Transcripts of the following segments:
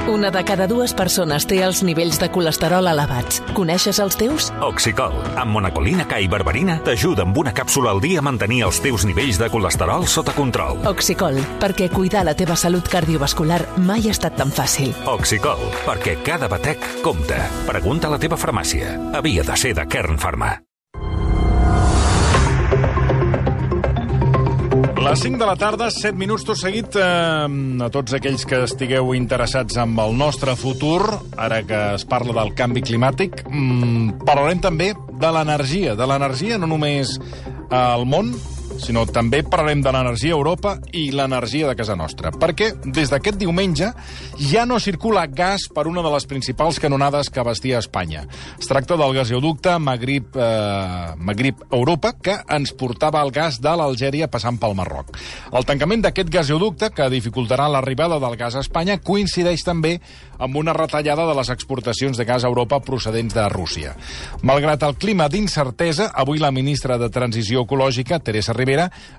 Una de cada dues persones té els nivells de colesterol elevats. Coneixes els teus? Oxicol, amb monacolina K i berberina, t'ajuda amb una càpsula al dia a mantenir els teus nivells de colesterol sota control. Oxicol, perquè cuidar la teva salut cardiovascular mai ha estat tan fàcil. Oxicol, perquè cada batec compta. Pregunta a la teva farmàcia. Havia de ser de Kern Pharma. Les 5 de la tarda, 7 minuts tot seguit. A tots aquells que estigueu interessats en el nostre futur, ara que es parla del canvi climàtic, parlarem també de l'energia no només al món, sinó també parlarem de l'energia a Europa i l'energia de casa nostra. Perquè des d'aquest diumenge ja no circula gas per una de les principals canonades que abastia Espanya. Es tracta del gasoducte Magrib-Europa, que ens portava el gas de l'Algèria passant pel Marroc. El tancament d'aquest gasoducte, que dificultarà l'arribada del gas a Espanya, coincideix també amb una retallada de les exportacions de gas a Europa procedents de Rússia. Malgrat el clima d'incertesa, avui la ministra de Transició Ecològica, Teresa Rivera,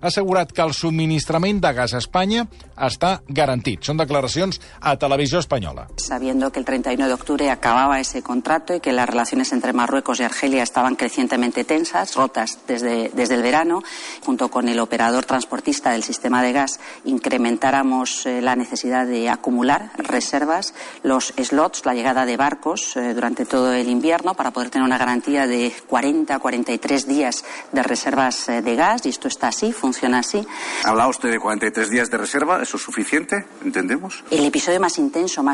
ha assegurat que el subministrament de gas a Espanya està garantit. Són declaracions a Televisió Espanyola. Sabiendo que el 31 de octubre acababa ese contrato y que las relaciones entre Marruecos y Argelia estaban crecientemente tensas, rotas desde el verano, junto con el operador transportista del sistema de gas, incrementáramos la necesidad de acumular reservas, los slots, la llegada de barcos durante todo el invierno para poder tener una garantía de 40-43 días de reservas de gas, y esto está así, funciona así. ¿Hablaba usted de 43 días de reserva? ¿Eso es suficiente? ¿Entendemos? El episodio más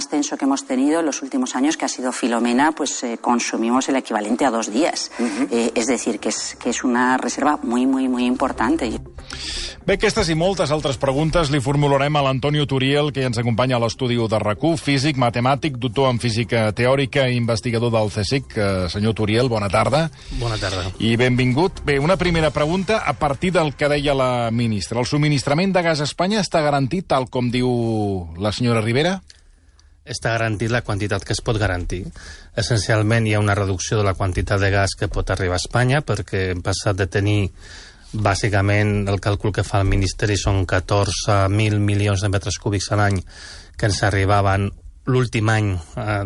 tenso que hemos tenido en los últimos años, que ha sido Filomena, pues consumimos el equivalente a 2 días. Es decir, que es una reserva muy, muy, muy importante. Bé, aquestes i moltes altres preguntes li formularem a l'Antonio Turiel, que ens acompanya a l'estudi de RAC1, físic, matemàtic, doctor en física teòrica i investigador del CSIC. Senyor Turiel, bona tarda. Bona tarda. I benvingut. Bé, una primera pregunta a partir del que deia la ministra. El subministrament de gas a Espanya està garantit, tal com diu la senyora Rivera? Està garantit la quantitat que es pot garantir. Essencialment hi ha una reducció de la quantitat de gas que pot arribar a Espanya, perquè hem passat de tenir bàsicament el càlcul que fa el Ministeri són 14.000 milions de metres cúbics a l'any que ens arribaven l'últim any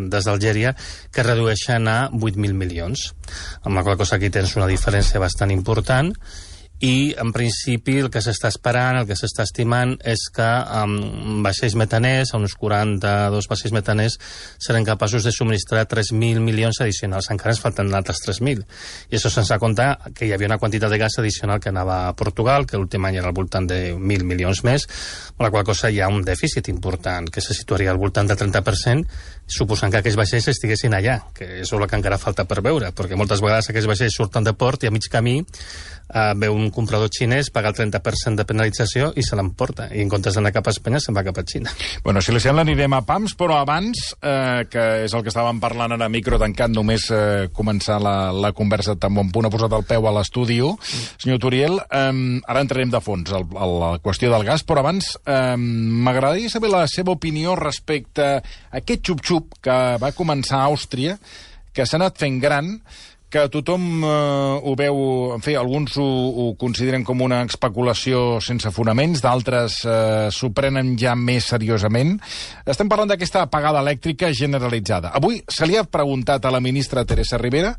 des d'Algèria, que redueixen a 8.000 milions. Amb la qual cosa aquí tens una diferència bastant important. I, en principi, el que s'està esperant, el que s'està estimant, és que amb vaixells metaners, uns 42 vaixells metaners, seran capaços de subministrar 3.000 milions addicionals. Encara ens falten altres 3.000. I això sense comptar que hi havia una quantitat de gas addicional que anava a Portugal, que l'últim any era al voltant de 1.000 milions més, amb la qual cosa hi ha un dèficit important, que se situaria al voltant del 30%, suposant que aquells vaixells estiguessin allà, que és el que encara falta per veure, perquè moltes vegades aquells vaixells surten de port i a mig camí veu un comprador xinès, paga el 30% de penalització i se l'emporta. I en comptes d'anar cap a Espanya, se'n va cap a Xina. Bueno, si li sembla anirem a pams, però abans, que és el que estàvem parlant ara micro tancat, només començar la conversa tan bon punt ha posat el peu a l'estudi. Senyor Turiel, ara entrarem de fons a la qüestió del gas, però abans m'agradaria saber la seva opinió respecte a aquest xup-xup que va començar a Àustria, que s'ha anat fent gran, que tothom ho veu, en fi, alguns ho consideren com una especulació sense fonaments, d'altres s'ho prenen ja més seriosament. Estem parlant d'aquesta apagada elèctrica generalitzada. Avui se li ha preguntat a la ministra Teresa Rivera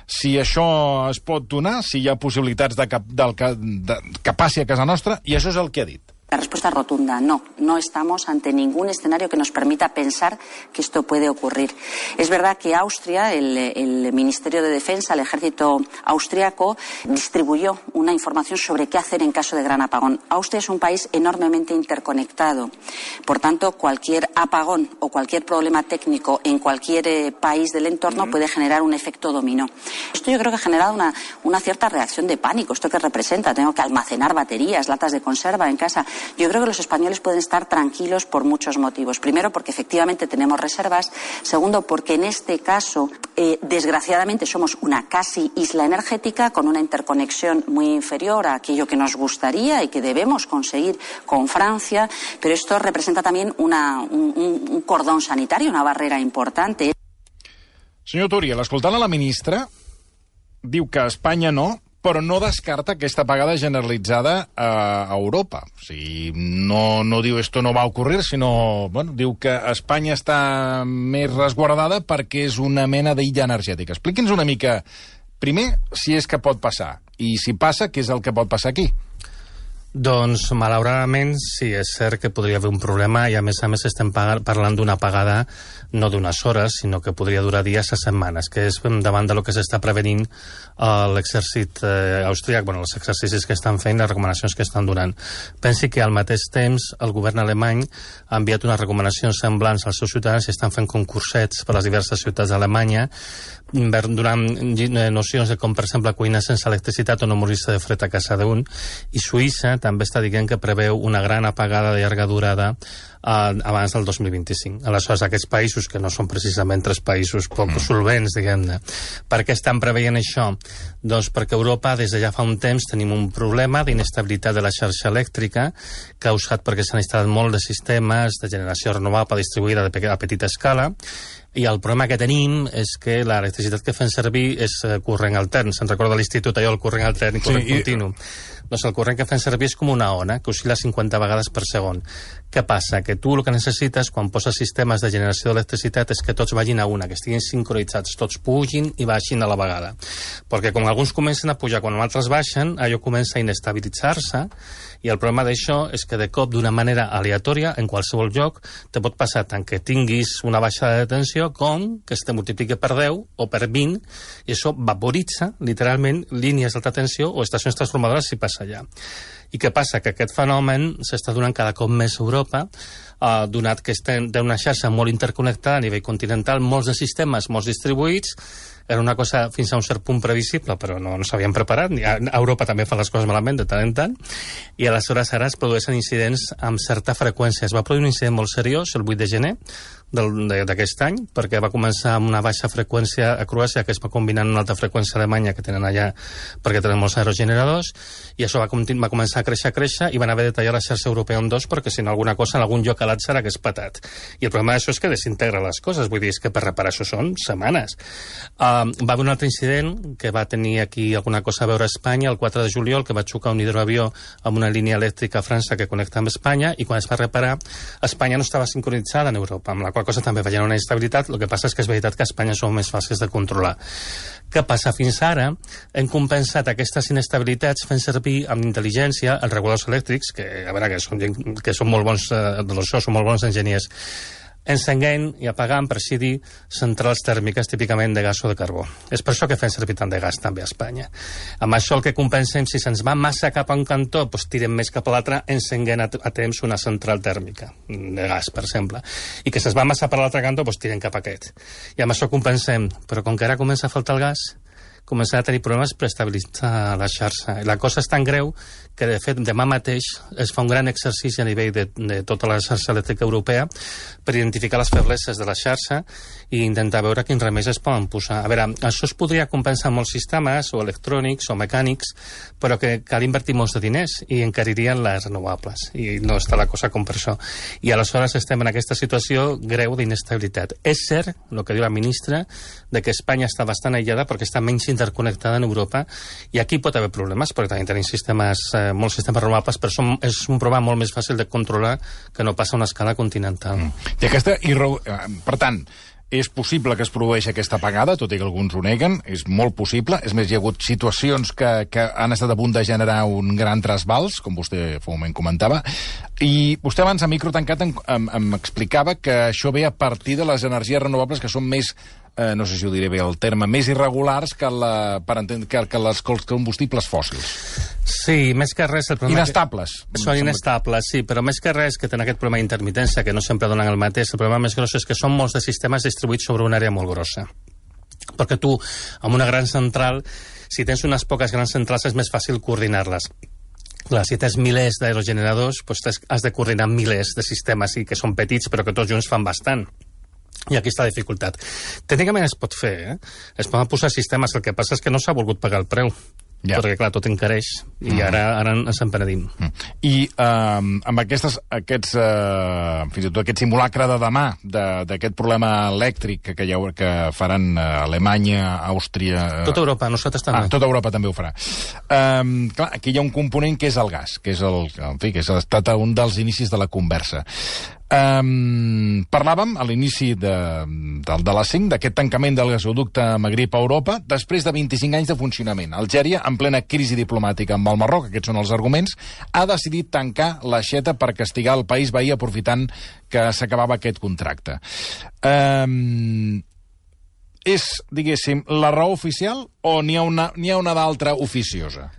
si això es pot donar, si hi ha possibilitats que passi a casa nostra, i això és el que ha dit. La respuesta es rotunda, no. No estamos ante ningún escenario que nos permita pensar que esto puede ocurrir. Es verdad que Austria, el Ministerio de Defensa, el ejército austriaco, distribuyó una información sobre qué hacer en caso de gran apagón. Austria es un país enormemente interconectado. Por tanto, cualquier apagón o cualquier problema técnico en cualquier país del entorno puede generar un efecto dominó. Esto yo creo que ha generado una cierta reacción de pánico. ¿Esto qué representa? Tengo que almacenar baterías, latas de conserva en casa. Yo creo que los españoles pueden estar tranquilos por muchos motivos. Primero, porque efectivamente tenemos reservas. Segundo, porque en este caso, desgraciadamente, somos una casi isla energética con una interconexión muy inferior a aquello que nos gustaría y que debemos conseguir con Francia. Pero esto representa también un cordón sanitario, una barrera importante. Senyor Turiel, escoltant a la ministra, diu que a Espanya no, però no descarta aquesta apagada generalitzada a Europa. O sigui, no diu esto no va ocurrir, sinó diu que Espanya està més resguardada perquè és una mena d'illa energètica. Expliqui'ns una mica, primer, si és que pot passar, i si passa, què és el que pot passar aquí? Doncs, malauradament, sí, és cert que podria haver un problema i, a més estem parlant d'una apagada no d'unes hores, sinó que podria durar dies a setmanes, que és davant de lo que s'està prevenint l'exèrcit austríac, els exercicis que estan fent, les recomanacions que estan donant. Pensi que al mateix temps el govern alemany ha enviat unes recomanacions semblants als seus ciutadans i estan fent concursets per les diverses ciutats d'Alemanya donant nocions de com, per exemple, cuinar sense electricitat o no morir-se de fred a casa d'un. I Suïssa també està dient que preveu una gran apagada de llarga durada abans del 2025. Aleshores, aquests països, que no són precisament tres països poc solvents, diguem-ne, per què estan preveient això? Doncs perquè a Europa, des de ja fa un temps, tenim un problema d'inestabilitat de la xarxa elèctrica causat perquè s'han instal·lat molt de sistemes de generació renovable distribuïda a petita escala, i el problema que tenim és que l'electricitat que fem servir és corrent altern. Se'n recorda a l'institut allò, el corrent altern i corrent continu. Doncs el corrent que fem servir és com una ona, que oscil·la 50 vegades per segon. Què passa? Que tu el que necessites quan poses sistemes de generació d'electricitat és que tots vagin a una, que estiguin sincronitzats, tots pugin i baixin a la vegada. Perquè com alguns comencen a pujar, quan altres baixen, allò comença a inestabilitzar-se, i el problema d'això és que de cop, d'una manera aleatòria, en qualsevol lloc, te pot passar tant que tinguis una baixada de tensió com que es te multipliqui per 10 o per 20, i això vaporitza, literalment, línies d'alta tensió o estacions transformadores si passa allà. I què passa? Que aquest fenomen s'està donant cada cop més a Europa, donat que estem d'una xarxa molt interconnectada a nivell continental, molts de sistemes, molts distribuïts. Era una cosa fins a un cert punt previsible, però no s'havien preparat. A Europa també fa les coses malament de tant en tant, i aleshores ara es produeixen incidents amb certa freqüència. Es va produir un incident molt seriós el 8 de gener d'aquest any, perquè va començar amb una baixa freqüència a Croàcia, que es va combinar amb una alta freqüència a Alemanya, que tenen allà perquè tenen molts aerogeneradors, i això va començar a créixer, i van haver de tallar la xarxa europea en dos, perquè si no alguna cosa en algun lloc a l'altre hagués patat. I el problema d'això és que desintegra les coses, vull dir, és que per reparar això són setmanes. Va haver un altre incident que va tenir aquí alguna cosa a veure a Espanya el 4 de juliol, que va xocar un hidroavió amb una línia elèctrica a França que connecta amb Espanya, i quan es va reparar, Espanya no estava sincronitzada en Europa, amb la qual cosa també veient una instabilitat. El que passa és que és veritat que a Espanya són més fàcils de controlar. Què passa? Fins ara hem compensat aquestes inestabilitats fent servir amb intel·ligència els reguladors elèctrics, que a veure, que són molt bons són molt bons enginyers, encenguent i apagant, per així dir, centrals tèrmiques típicament de gas o de carbó. És per això que fem servir tant de gas també a Espanya. Amb això el que compensem, si se'ns va massa cap a un cantó, doncs tirem més cap a l'altre, encenguent a temps una central tèrmica de gas, per exemple. I que se'ns va massa per l'altre cantó, doncs tirem cap a aquest. I amb això compensem. Però com que ara comença a faltar el gas, començarà a tenir problemes per estabilitzar la xarxa. I la cosa és tan greu que, de fet, demà mateix es fa un gran exercici a nivell de tota la xarxa elèctrica europea per identificar les febleses de la xarxa i intentar veure quins remeis es poden posar. A veure, això es podria compensar amb molts sistemes, o electrònics, o mecànics, però que cal invertir molts de diners i encaririen les renovables. I no està la cosa com per això. I aleshores estem en aquesta situació greu d'inestabilitat. És cert, el que diu la ministra, de que Espanya està bastant aïllada perquè està menys interconnectada en Europa, i aquí pot haver problemes, perquè també tenim molts sistemes renovables, però és un problema molt més fàcil de controlar que no passa a una escala continental. Per tant, és possible que es produeixi aquesta apagada, tot i que alguns ho neguen, és molt possible. És més, hi ha hagut situacions que han estat a punt de generar un gran trasbals, com vostè fa un moment comentava, i vostè abans a micro tancat em explicava que això ve a partir de les energies renovables que són més, no sé si ho diré bé el terme, més irregulars que els combustibles fòssils. Sí, més que res... Inestables. Són inestables, sí, però més que res que tenen aquest problema d'intermitència, que no sempre donen el mateix. El problema més gros és que són molts de sistemes distribuïts sobre una àrea molt grossa. Perquè tu, amb una gran central, si tens unes poques grans centrals, és més fàcil coordinar-les. Clar, si tens milers d'aerogeneradors, doncs has de coordinar milers de sistemes, que són petits, però que tots junts fan bastant. I aquí està la dificultat. Tècnicament es pot fer, Es poden posar sistemes, el que passa és que no s'ha volgut pagar el preu. perquè, clar, tot encareix, i ara ens en penedim. I amb fins i tot aquest simulacre de demà d'aquest problema elèctric que faran Alemanya, Àustria... Tota Europa, nosaltres també. Tota Europa també ho farà. Clar, aquí hi ha un component que és el gas, que és ha estat un dels inicis de la conversa. Parlàvem a l'inici de les 5 d'aquest tancament del gasoducte Magrib a Europa després de 25 anys de funcionament. Algèria, en plena crisi diplomàtica amb el Marroc, aquests són els arguments, ha decidit tancar l'aixeta per castigar el país veí aprofitant que s'acabava aquest contracte. És, diguéssim, la raó oficial o n'hi ha una d'altra oficiosa?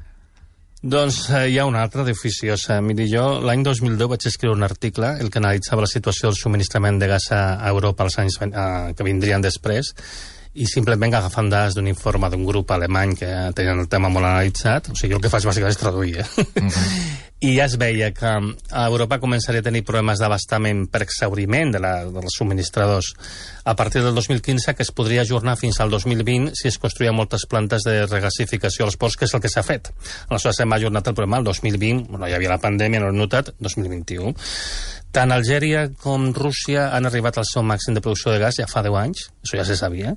Doncs hi ha una altra d'oficiosa. Miri, jo l'any 2010 vaig escriure un article el que analitzava la situació del subministrament de gas a Europa als anys que vindrien després, i simplement agafant dades d'un informe d'un grup alemany que tenien el tema molt analitzat, o sigui, el que faig bàsicament és traduir, I ja es veia que a Europa començaria a tenir problemes d'abastament per exhauriment dels subministradors a partir del 2015, que es podria ajornar fins al 2020 si es construïen moltes plantes de regasificació als ports, que és el que s'ha fet. Aleshores hem ajornat el problema al 2020, hi havia la pandèmia, no l'hem notat, 2021. Tant Algèria com Rússia han arribat al seu màxim de producció de gas ja fa 10 anys, això ja se sabia,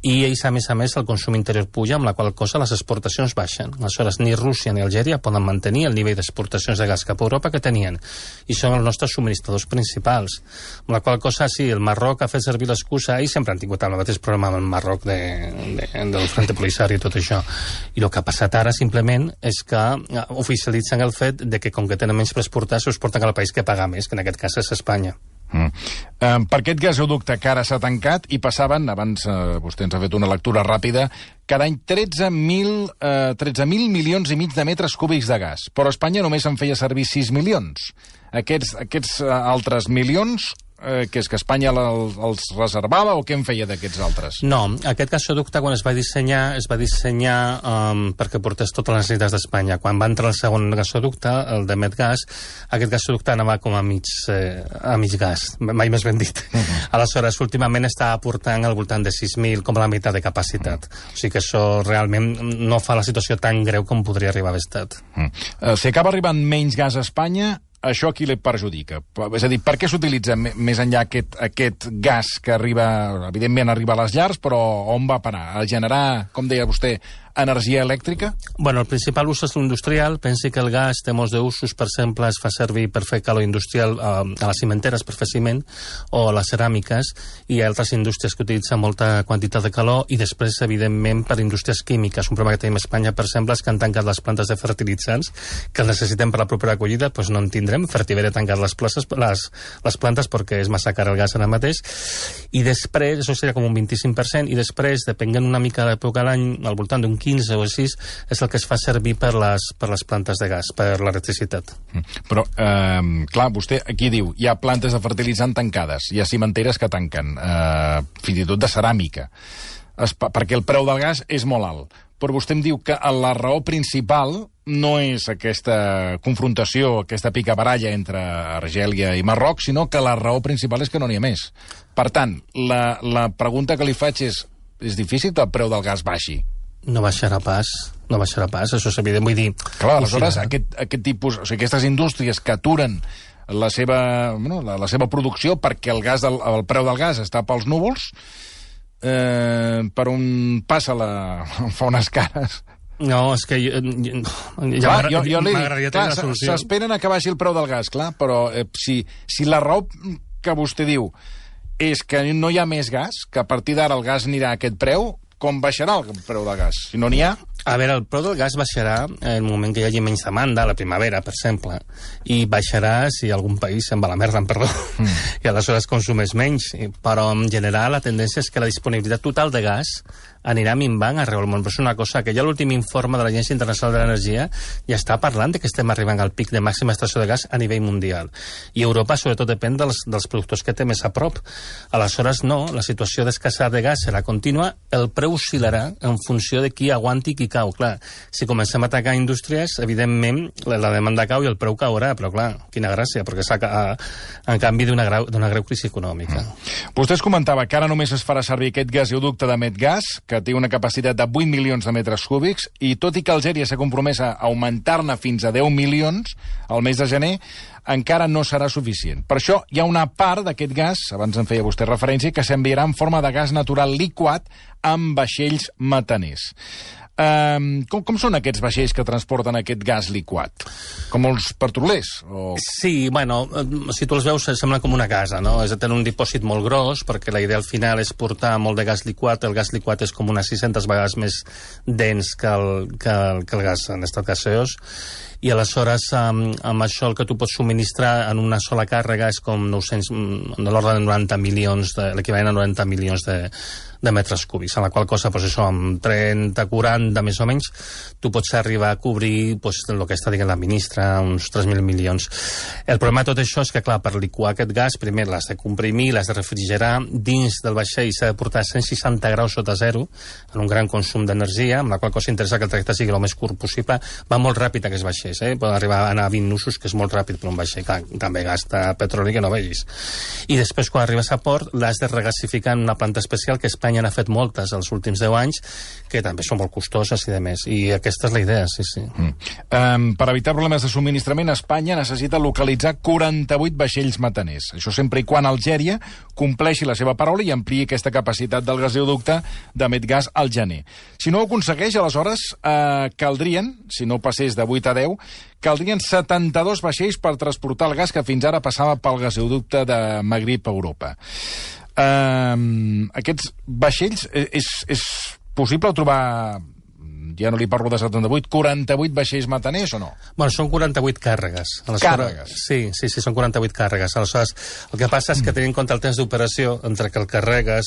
i ells, a més, el consum interior puja, amb la qual cosa les exportacions baixen. Aleshores, ni Rússia ni Algèria poden mantenir el nivell d'exportacions de gas cap a Europa que tenien, i són els nostres subministradors principals. Amb la qual cosa, sí, el Marroc ha fet servir l'excusa, ells sempre han tingut el mateix problema amb el Marroc del Frente Polisario i tot això. I el que ha passat ara, simplement, és que oficialitzen el fet de que, com que tenen menys per exportar, s'ho exporten al país que paga més, que en aquest cas és Espanya. Per aquest gasoducte que ara s'ha tancat i passaven, abans vostè ens ha fet una lectura ràpida, cada any 13.000 milions i mig de metres cúbics de gas, però Espanya només en feia servir 6 milions. Aquests altres milions, que és que Espanya els reservava o què en feia d'aquests altres? No, aquest gasoducte quan es va dissenyar perquè portés totes les necessitats d'Espanya. Quan va entrar el segon gasoducte, el de Medgas, aquest gasoducte anava com a mig gas, mai més ben dit. Aleshores, últimament està aportant al voltant de 6.000, com la meitat de capacitat. O sigui que això realment no fa la situació tan greu com podria arribar a haver estat. Si acaba arribant menys gas a Espanya, això a qui li perjudica? És a dir, per què s'utilitza més enllà aquest gas que arriba, evidentment arriba a les llars, però on va a parar? A generar, com deia vostè, energia elèctrica? Bueno, el principal ús és l'industrial. Pensi que el gas té molts d'usos. Per exemple, es fa servir per fer calor industrial a les cimenteres per fer ciment, o a les ceràmiques, i hi ha altres indústries que utilitzen molta quantitat de calor, i després, evidentment, per indústries químiques. Un problema que tenim a Espanya, per exemple, és que han tancat les plantes de fertilitzants, que el necessitem per la propera acollida, doncs no en tindrem. Fertiber ha tancat les plantes perquè és massa car el gas ara mateix, i després, això seria com un 25%, i després, depenent una mica de l'època de l'any, al voltant d'un 15 o així, és el que es fa servir per les plantes de gas, per l'electricitat. Però, clar, vostè aquí diu, hi ha plantes de fertilitzant tancades, hi ha cimenteres que tanquen, fins i tot de ceràmica, perquè el preu del gas és molt alt. Però vostè em diu que la raó principal no és aquesta confrontació, aquesta picabaralla entre Argèlia i Marroc, sinó que la raó principal és que no n'hi ha més. Per tant, la pregunta que li faig és difícil que el preu del gas baixi? No baixarà pas, això és evident, vull dir... Clar, aleshores, aquest tipus, o sigui, aquestes indústries que aturen la seva producció perquè el preu del gas està pels núvols, per on passa fa unes cares... No, és que m'agradaria tenir la solució. S'esperen a que baixi el preu del gas, clar, però si la raó que vostè diu és que no hi ha més gas, que a partir d'ara el gas anirà a aquest preu, com baixarà el preu del gas? Si no n'hi ha... A veure, el preu del gas baixarà en el moment que hi hagi menys demanda, a la primavera, per exemple, i baixarà si algun país se'n va a la merda, perdó, i aleshores consumeix menys. Però en general la tendència és que la disponibilitat total de gas anirà minvant arreu del món. Però és una cosa que ja l'últim informe de l'Agència Internacional de l'Energia ja està parlant de que estem arribant al pic de màxima extracció de gas a nivell mundial. I Europa, sobretot, depèn dels productors que té més a prop. Aleshores, no, la situació d'escassetat de gas serà contínua, el preu oscil·larà en funció de qui aguanti i qui cau. Clar, si comencem a atacar indústries, evidentment la demanda cau i el preu caurà, però clar, quina gràcia, perquè en canvi d'una greu crisi econòmica. Vostè comentava que ara només es farà servir aquest gasoducte de Medgas, que té una capacitat de 8 milions de metres cúbics, i tot i que Algèria s'ha compromès a augmentar-ne fins a 10 milions al mes de gener, encara no serà suficient. Per això hi ha una part d'aquest gas, abans en feia vostè referència, que s'enviarà en forma de gas natural liquat amb vaixells metaners. Com són aquests vaixells que transporten aquest gas liquat? Com els petrolers? Sí, bueno, si tu els veus sembla com una casa, no? És de tenir un dipòsit molt gros, perquè la idea al final és portar molt de gas liquat. El gas liquat és com unes 600 vegades més dens que el gas en estat gaseós, i aleshores amb això el que tu pots subministrar en una sola càrrega és com 900, de l'ordre de 90 milions, l'equivalent a 90 milions de metres cúbics, en la qual cosa, pues això, amb 30, 40, més o menys, tu pots arribar a cobrir pues, el que està dient la ministra, uns 3.000 milions. El problema de tot això és que, clar, per liquar aquest gas, primer l'has de comprimir, l'has de refrigerar, dins del vaixell s'ha de portar 160 graus sota zero, en un gran consum d'energia, amb la qual cosa interessa que el trajecte sigui el més curt possible. Va molt ràpid aquests vaixells, poden arribar a anar a 20 nusos, que és molt ràpid per un vaixell, clar, també gasta petroli que no vegis. I després, quan arribes a port, l'has de regasificar en una planta especial que Espanya n'ha fet moltes els últims 10 anys, que també són molt costoses i de més. I aquesta és la idea, sí. Per evitar problemes de subministrament, Espanya necessita localitzar 48 vaixells metaners. Això sempre i quan Algèria compleixi la seva paraula i ampliï aquesta capacitat del gasoducte de Medgas al gener. Si no ho aconsegueix, aleshores caldrien, si no passés de 8 a 10, caldrien 72 vaixells per transportar el gas que fins ara passava pel gasoducte de Magrib a Europa. Aquests vaixells, és possible trobar, ja no li parlo de 78, 48 vaixells metaners o no? Bueno, són 48 càrregues. Càrregues? Sí, són 48 càrregues. Aleshores, el que passa és que tenint en compte el temps d'operació entre que el carregues,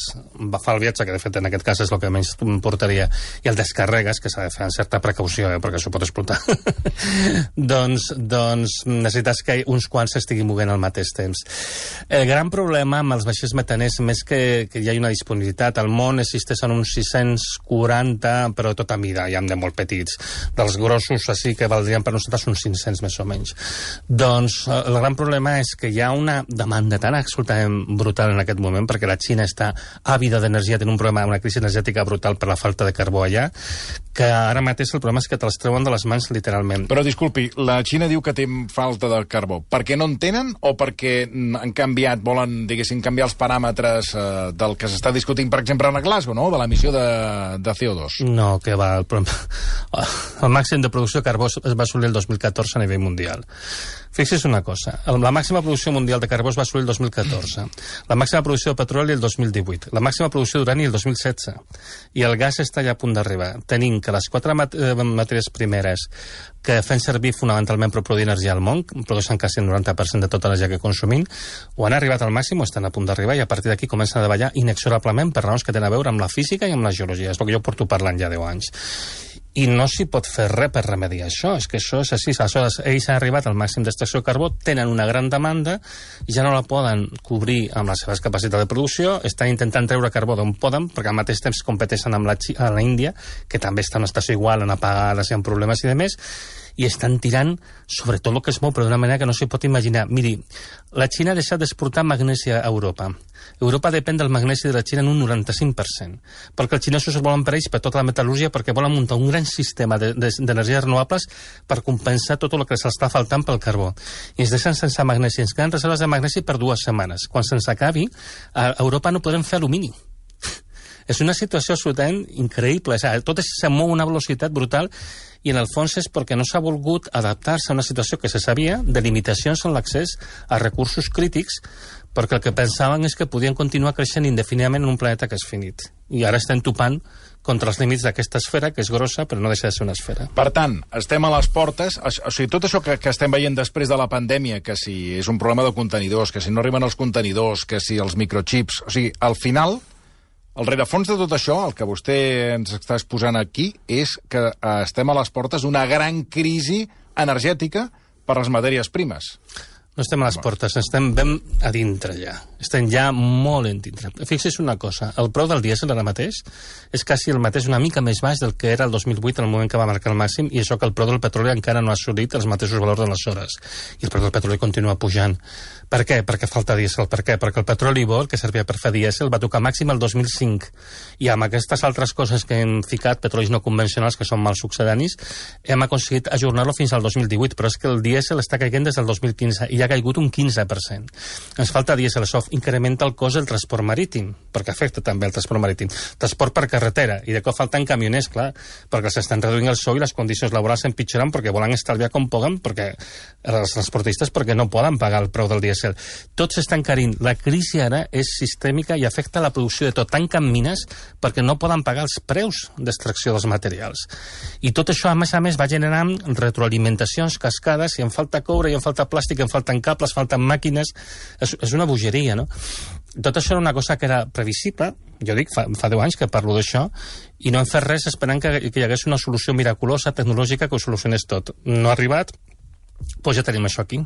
fa el viatge, que de fet en aquest cas és el que menys portaria, i el descarregues, que s'ha de fer amb certa precaució, perquè això pot explotar, doncs necessites que uns quants s'estiguin movent al mateix temps. El gran problema amb els vaixells metaners, més que hi ha una disponibilitat, al món existeixen uns 640, però tota mida, hi ha de molt petits, dels grossos així que valdrien per nosaltres uns 500 més o menys. Doncs el gran problema és que hi ha una demanda tan absolutament brutal en aquest moment, perquè la Xina està àvida d'energia, té un problema, una crisi energètica brutal per la falta de carbó allà, que ara mateix el problema és que te'ls treuen de les mans literalment. Però disculpi, la Xina diu que té falta de carbó. Per què no en tenen o perquè han canviat, volen, diguéssim, canviar els paràmetres del que s'està discutint, per exemple, a Glasgow, no?, de l'emissió de CO2? No, que va, el problema... El màxim de producció de carbó es va assolir el 2014 a nivell mundial. Fixi's una cosa, la màxima producció mundial de carbó es va assolir el 2014, la màxima producció de petroli el 2018, la màxima producció d'urani el 2016, i el gas està ja a punt d'arribar. Tenim que les 4 matèries primeres que fem servir fonamentalment per produir energia al món, produeixen quasi el 90% de tota l'energia que consumim, o han arribat al màxim o estan a punt d'arribar, i a partir d'aquí comencen a davallar inexorablement per raons que tenen a veure amb la física i amb la geologia. És el que jo porto parlant ja 10 anys. I no s'hi pot fer res per remediar això, és que això és així. Aleshores, ells han arribat al màxim d'extracció de carbó, tenen una gran demanda, i ja no la poden cobrir amb les seves capacitats de producció, estan intentant treure carbó d'on poden, perquè al mateix temps competeixen amb la Índia, que també està en una situació igual, en apagades i amb problemes i demés, i estan tirant sobre tot el que es mou, però d'una manera que no s'hi pot imaginar. Miri, la Xina ha deixat d'exportar magnesi a Europa. Europa depèn del magnesi de la Xina en un 95%, perquè els xinesos es volen per ells per tota la metal·lúrgia, perquè volen muntar un gran sistema d'energies renovables per compensar tot el que se'ls està faltant pel carbó. I ens deixen sense magnesi, ens queden reserves de magnesi per 2 setmanes. Quan se'ns acabi, a Europa no podrem fer alumini. És una situació absolutament increïble. Tot se mou a una velocitat brutal, i en el fons és perquè no s'ha volgut adaptar-se a una situació que se sabia de limitacions en l'accés a recursos crítics, perquè el que pensaven és que podien continuar creixent indefinidament en un planeta que és finit. I ara estem topant contra els límits d'aquesta esfera, que és grossa, però no deixa de ser una esfera. Per tant, estem a les portes, o sigui, tot això que estem veient després de la pandèmia, que si és un problema de contenidors, que si no arriben els contenidors, que si els microchips, o sigui, al final, el rerefons de tot això, el que vostè ens està exposant aquí, és que estem a les portes d'una gran crisi energètica per les matèries primes. No estem a les portes, estem ben a dintre ja. Estem ja molt en dintre. Fixi's una cosa, el preu del dièsel ara mateix és quasi el mateix, una mica més baix del que era el 2008, en el moment que va marcar el màxim, i això que el preu del petroli encara no ha assolit els mateixos valors d'aleshores. I el preu del petroli continua pujant. Per què? Perquè falta dièsel. Per què? Perquè el petroli bo, que servia per fer dièsel, va tocar màxim el 2005. I amb aquestes altres coses que hem ficat, petrolis no convencionals, que són mal succedanis, hem aconseguit ajornar-lo fins al 2018, però és que el dièsel està caient des del 2015 i ha caigut un 15%. Ens falta dièsel, això incrementa el cost del transport marítim, perquè afecta també el transport marítim. Transport per carretera, i de cop falten camioners, clar, perquè s'estan reduint el sou i les condicions laborals s'empitjoren perquè volen estalviar com puguen, perquè els transportistes perquè no poden pagar el preu del dièsel. Tots s'estan encarint. La crisi ara és sistèmica i afecta la producció de tot. Tanquen mines perquè no poden pagar els preus d'extracció dels materials. I tot això, a més, va generant retroalimentacions, cascades, i en falta coure, i en falta plàstic, en falten cables, falten màquines. És una bogeria, no? Tot això era una cosa que era previsible, jo dic, fa 10 anys que parlo d'això, i no hem fet res esperant que hi hagués una solució miraculosa, tecnològica, que ho solucionés tot. No ha arribat, doncs ja tenim això aquí.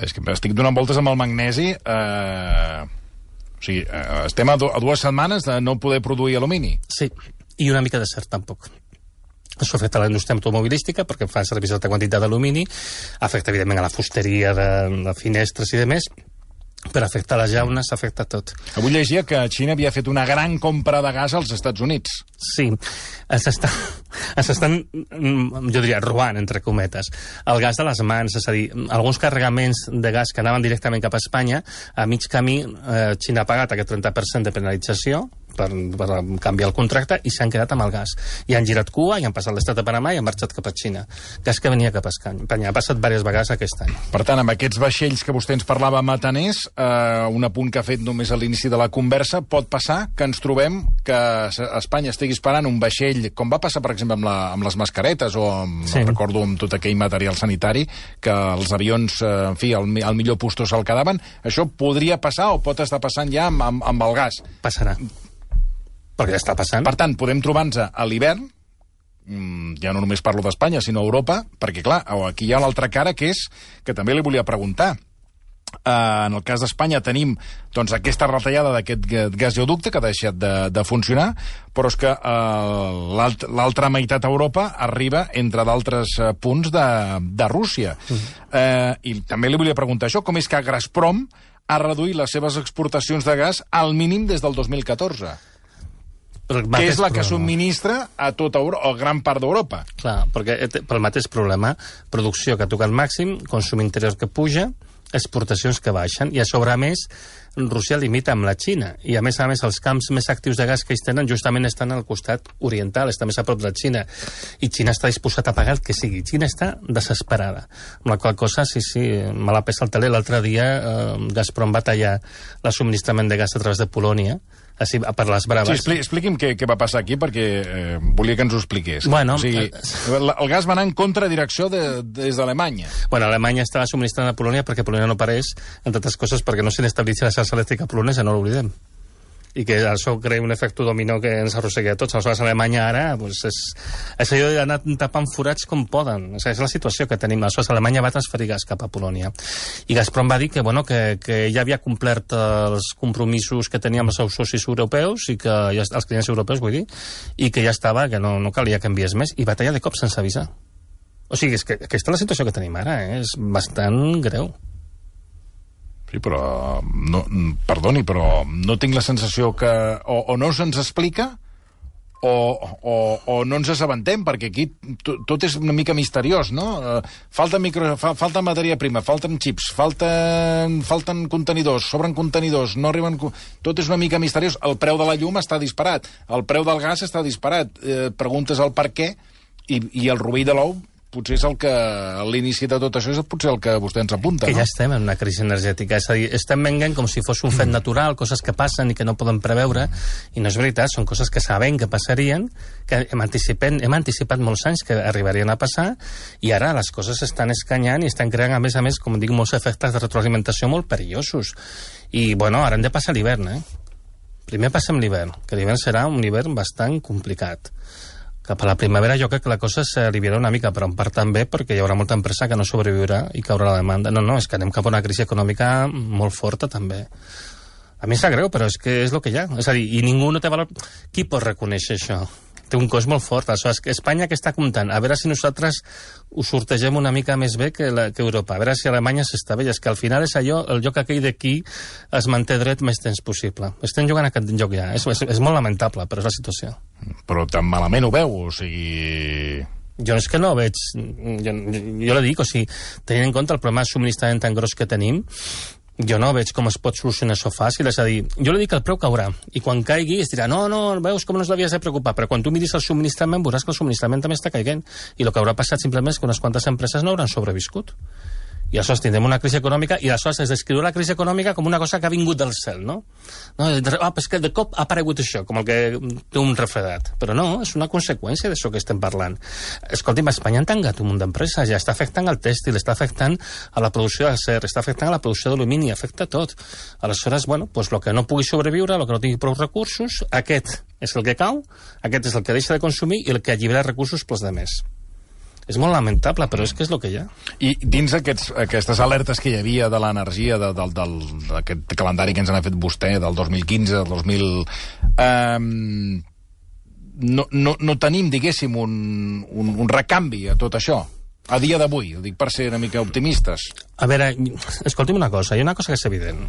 És que estic donant voltes amb el magnesi. O sigui, estem a 2 setmanes de no poder produir alumini. Sí, i una mica de cert, tampoc. Això afecta a la indústria automobilística perquè fa servir certa quantitat d'alumini, afecta evidentment a la fusteria de finestres i demés, però afecta a les llaunes, afecta a tot. Avui llegia que Xina havia fet una gran compra de gas als Estats Units. Sí, ens estan, jo diria, robant, entre cometes, el gas de les mans, és a dir, alguns carregaments de gas que anaven directament cap a Espanya, a mig camí Xina ha pagat aquest 30% de penalització, per canviar el contracte, i s'han quedat amb el gas. I han girat cua, i han passat l'estat de Panamà i han marxat cap a Xina. Gas que venia cap a Espanya. Ha passat diverses vegades aquest any. Per tant, amb aquests vaixells que vostè ens parlava mataners, un apunt que ha fet només a l'inici de la conversa, pot passar que ens trobem que Espanya estigui esperant un vaixell, com va passar, per exemple, amb les mascaretes, o recordo amb tot aquell material sanitari, que els avions, en fi, al millor puesto se'l quedaven. Això podria passar o pot estar passant ja amb el gas? Passarà. Perquè ja està passant. Per tant, podem trobar-nos a l'hivern, ja no només parlo d'Espanya, sinó Europa, perquè, clar, aquí hi ha l'altra cara, que és, que també li volia preguntar. En el cas d'Espanya tenim doncs, aquesta retallada d'aquest gasoducte que ha deixat de funcionar, però és que l'altra meitat d'Europa arriba, entre d'altres punts, de Rússia. I també li volia preguntar això, com és que Gazprom ha reduït les seves exportacions de gas al mínim des del 2014? Que és la que subministra a tota Europa, o gran part d'Europa. Clar, perquè pel mateix problema, producció que toca al màxim, consum interior que puja, exportacions que baixen, i a sobre, a més, Rússia limita amb la Xina, i a més, els camps més actius de gas que ells tenen justament estan al costat oriental, està més a prop de la Xina, i Xina està disposat a pagar el que sigui. Xina està desesperada, amb la qual cosa, sí, me la pesa el teler. L'altre dia Gazprom va tallar el subministrament de gas a través de Polònia, així, per les braves. Sí, expliqui'm què va passar aquí, perquè volia que ens ho expliqués. Bueno, o sigui, el gas va anar en contradirecció des d'Alemanya. Bueno, Alemanya estava subministrant a Polònia perquè Polònia no pareix, entre altres coses, perquè no s'inestabilitza la xarxa elèctrica polonesa, no l'oblidem. I que això crea un efecte dominó que ens arrossegui a tots. Aleshores, Alemanya ara és allò d'anar tapant forats com poden. O sigui, és la situació que tenim. Aleshores, Alemanya va transferir gas cap a Polònia. I Gazprom va dir que ja havia complert els compromisos que tenia amb els seus socis europeus, i que els clients europeus, vull dir, i que ja estava, que no calia que enviés més, i va tallar de cop sense avisar. O sigui, és que aquesta és la situació que tenim ara, és bastant greu. Sí, però, perdoni, però no tinc la sensació que o no se'ns explica o no ens assabentem, perquè aquí tot és una mica misteriós, no? Falta matèria prima, falten xips, falten contenidors, sobren contenidors, no arriben... Tot és una mica misteriós. El preu de la llum està disparat, el preu del gas està disparat. Preguntes el per què, i el rovell de l'ou potser és el que, a l'inici de tot això, és potser el que vostè ens apunta, que no? Ja estem en una crisi energètica, és a dir, estem venent com si fos un fet natural, coses que passen i que no poden preveure, i no és veritat, són coses que sabem que passarien, que hem anticipat molts anys que arribarien a passar, i ara les coses s'estan escanyant i estan creant, a més, com dic, molts efectes de retroalimentació molt perillosos. I, bueno, ara hem de passar l'hivern, Primer passem l'hivern, que l'hivern serà un hivern bastant complicat. cap a la primavera jo crec que la cosa s'aliviarà una mica, però en part també perquè hi haurà molta empresa que no sobreviurà i caurà la demanda. No, és que anem cap a una crisi econòmica molt forta també. A mi em sap greu, però és que és el que hi ha. És a dir, i ningú no té valor. Qui pot reconèixer això? Té un cost molt fort. Aleshores, Espanya que està comptant? A veure si nosaltres ho sortegem una mica més bé que Europa. A veure si Alemanya s'està bé. És que al final és allò, el joc aquell d'aquí es manté dret més temps possible. Estem jugant aquest joc ja. És molt lamentable, però és la situació. Però tan malament ho veu, o sigui... Jo és que no veig... Jo li dic, o sigui, tenint en compte el problema de subministrament tan gros que tenim, jo no veig com es pot solucionar això fàcil. És a dir, jo li dic que el preu caurà, i quan caigui es dirà, no, veus com no us l'havies de preocupar, però quan tu miris el subministrament veuràs que el subministrament també està caiguent, i el que haurà passat simplement és que unes quantes empreses no hauran sobreviscut. I aleshores tindrem una crisi econòmica, i aleshores es descriu la crisi econòmica com una cosa que ha vingut del cel, no? És que de cop ha aparegut això, com el que té un refredat. Però no, és una conseqüència d'això que estem parlant. Escolti'm, Espanya ha tancat un munt d'empreses, ja està afectant el tèxtil, està afectant a la producció d'acer, està afectant a la producció d'alumini, afecta tot. Aleshores, bueno, doncs el que no pugui sobreviure, el que no tingui prou recursos, aquest és el que cau, aquest és el que deixa de consumir i el que allibera recursos pels demés. És molt lamentable, però és que és el que hi ha. I dins aquestes alertes que hi havia de l'energia, d'aquest calendari que ens ha fet vostè, del 2015, del 2000... No tenim, diguéssim, un recanvi a tot això, a dia d'avui, ho dic per ser una mica optimistes. A veure, escolti'm una cosa, hi ha una cosa que és evident.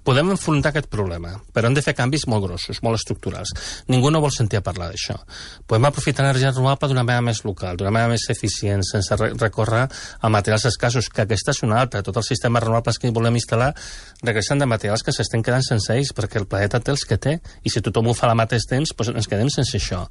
Podem enfrontar aquest problema, però hem de fer canvis molt grossos, molt estructurals. Ningú no vol sentir a parlar d'això. Podem aprofitar l'energia renovable d'una manera més local, d'una manera més eficient, sense recórrer a materials escassos, que aquesta és una altra. Tots els sistemes renovables que volem instal·lar regresen de materials que s'estan quedant sense ells, perquè el planeta té els que té, i si tothom ho fa al mateix temps, doncs ens quedem sense això.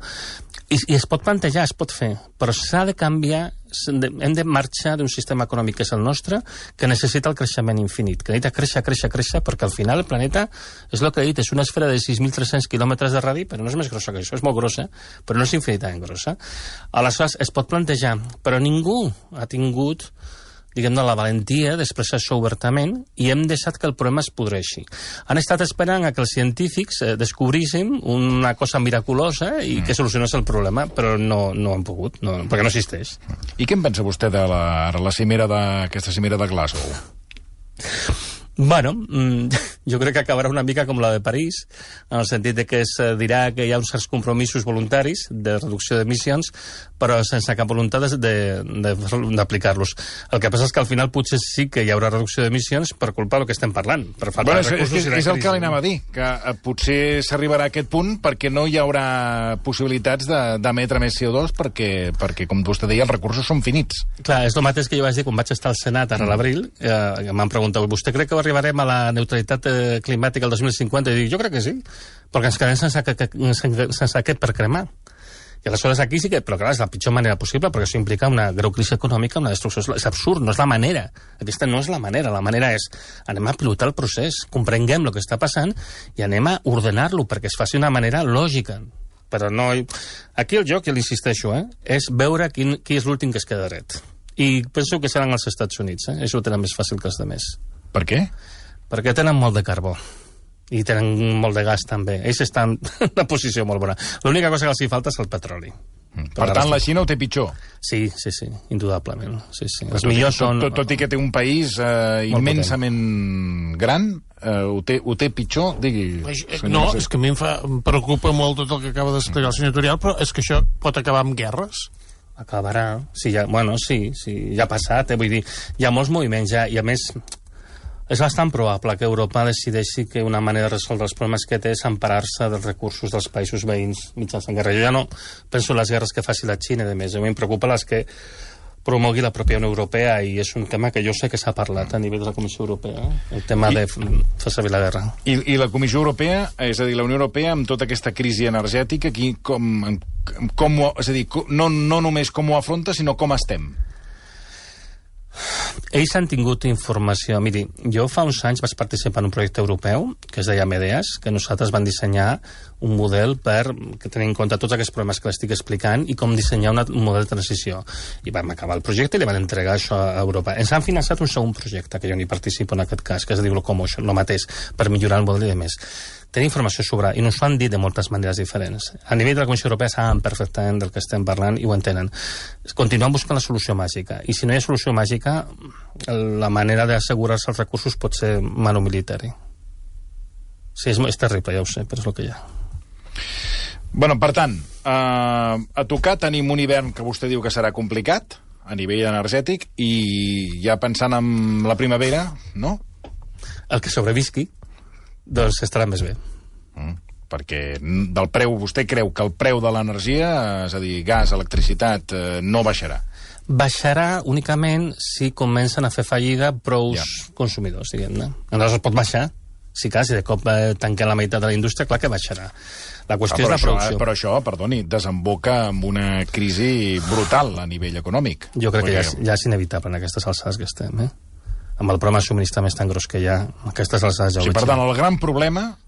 I es pot plantejar, es pot fer, però s'ha de canviar, hem de marxar d'un sistema econòmic que és el nostre, que necessita el creixement infinit, que necessita créixer, perquè al final el planeta, és el que he dit, és una esfera de 6.300 quilòmetres de radi, però no és més grossa que això, és molt grossa, però no és infinitament grossa. Aleshores, es pot plantejar, però ningú ha tingut, diguem-ne, la valentia d'expressar això obertament, i hem deixat que el problema es podreixi. Han estat esperant a que els científics descobrissin una cosa miraculosa i que solucionés el problema, però no han pogut, perquè no existeix. I què en pensa vostè de aquesta cimera de Glasgow? Bueno, jo crec que acabarà una mica com la de París, en el sentit de que es dirà que hi ha uns certs compromisos voluntaris de reducció d'emissions, però sense cap voluntat d'aplicar-los. El que passa és que al final potser sí que hi haurà reducció d'emissions per culpa del que estem parlant, per falta de recursos i la crisi. És el que li anava a dir, que potser s'arribarà a aquest punt perquè no hi haurà possibilitats d'emetre més CO2 perquè, com vostè deia, els recursos són finits. Clar, és el mateix que jo vaig dir quan vaig estar al Senat ara a l'abril, m'han preguntat, vostè crec que arribarem a la neutralitat climàtica el 2050? I dic, jo crec que sí, perquè ens quedem sense aquest per cremar. I aleshores aquí sí que... Però clar, és la pitjor manera possible, perquè això implica una greu crisi econòmica, una destrucció... És absurd, no és la manera. Aquesta no és la manera és anem a pilotar el procés, comprenguem el que està passant i anem a ordenar-lo perquè es faci d'una manera lògica. Però no... Aquí el joc, ja l'insisteixo, és veure qui és l'últim que es queda dret. I penso que seran els Estats Units, Això ho tenen més fàcil que els altres. Per què? Perquè tenen molt de carbó. I tenen molt de gas, també. Ells estan en una posició molt bona. L'única cosa que els hi falta és el petroli. Per tant, la Xina ho té pitjor? Sí, indudablement. Sí. Els millors són... Tot i que té un país immensament gran, ho té pitjor? Digui... No, és que a mi em preocupa molt tot el que acaba d'explicar el senyor Turiel, però és que això pot acabar amb guerres. Acabarà. Sí, ja ha passat, vull dir, hi ha molts moviments ja, i a més... És bastant probable que Europa decideixi que una manera de resoldre els problemes que té és emparar-se dels recursos dels països veïns mitjançant guerra. Jo ja no penso en les guerres que faci la Xina, de més. A mi em preocupa les que promogui la pròpia Unió Europea, i és un tema que jo sé que s'ha parlat a nivell de la Comissió Europea, el tema de fer servir la guerra. I la Comissió Europea, és a dir, la Unió Europea, amb tota aquesta crisi energètica, aquí és a dir, no només com ho afronta, sinó com estem? Ells han tingut informació. Miri, jo fa uns anys vaig participar en un projecte europeu que es deia MEDEAS, que nosaltres vam dissenyar un model per tenir en compte tots aquests problemes que l'estic explicant i com dissenyar un model de transició. I vam acabar el projecte i li van entregar això a Europa. Ens han finançat un segon projecte, que jo n'hi participo en aquest cas, que es diu Locomotion, el mateix, per millorar el model i de més. Tenim informació sobre, i ens ho han dit de moltes maneres diferents. A nivell de la Comissió Europea saben perfectament del que estem parlant i ho entenen. Continuem buscant la solució màgica, i si no hi ha solució màgica, la manera d'assegurar-se els recursos pot ser manu militari. Sí, és terrible, ja ho sé, però és el que hi ha. Bueno, per tant, a tocar tenim un hivern que vostè diu que serà complicat a nivell energètic, i ja pensant en la primavera, no? El que sobrevisqui, doncs estarà més bé. Perquè del preu, vostè creu que el preu de l'energia, és a dir, gas, electricitat, no baixarà? Baixarà únicament si comencen a fer fallida prou consumidors, diguem-ne. Aleshores pot baixar. Si de cop tanquen la meitat de la indústria, clar que baixarà. La qüestió és la producció. Però això, perdoni, desemboca en una crisi brutal a nivell econòmic. Jo crec que ja és inevitable en aquestes alçades que estem, Amb el problema de subministrament tan gros que hi ha, aquestes alçades ja ho veig. Per tant, el gran problema,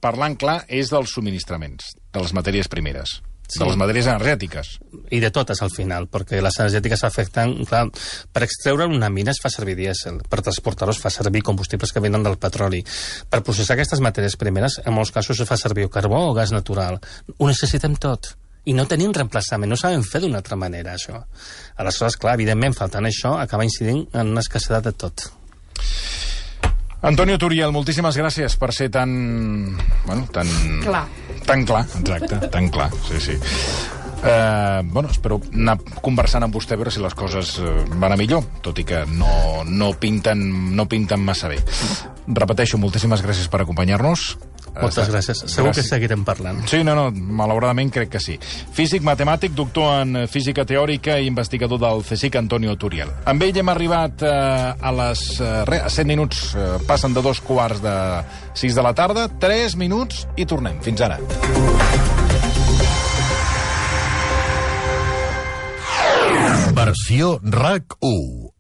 parlant clar, és dels subministraments, de les matèries primeres. De les matèries energètiques. I de totes, al final, perquè les energètiques afecten... Clar, per extreure una mina es fa servir dièsel, per transportar-ho es fa servir combustibles que venen del petroli. Per processar aquestes matèries primeres, en molts casos es fa servir o carbó o gas natural. Ho necessitem tot. I no tenim reemplaçament, no sabem fer d'una altra manera, això. Aleshores, clar, evidentment, faltant això, acaba incidint en una escassedat de tot. Antonio Turiel, moltíssimes gràcies per ser tan... Bueno, tan... Clar. Tan clar, exacte, tan clar, sí. Espero anar conversant amb vostè a veure si les coses van a millor, tot i que no pinten massa bé. Repeteixo, moltíssimes gràcies per acompanyar-nos. Moltes gràcies. Segur que seguirem parlant. Sí, malauradament crec que sí. Físic, matemàtic, doctor en física teòrica i investigador del CSIC, Antonio Turiel. Amb ell hem arribat a 7 minuts, passen de 2:15 de la tarda, 3 minuts i tornem. Fins ara. Versió RAC 1.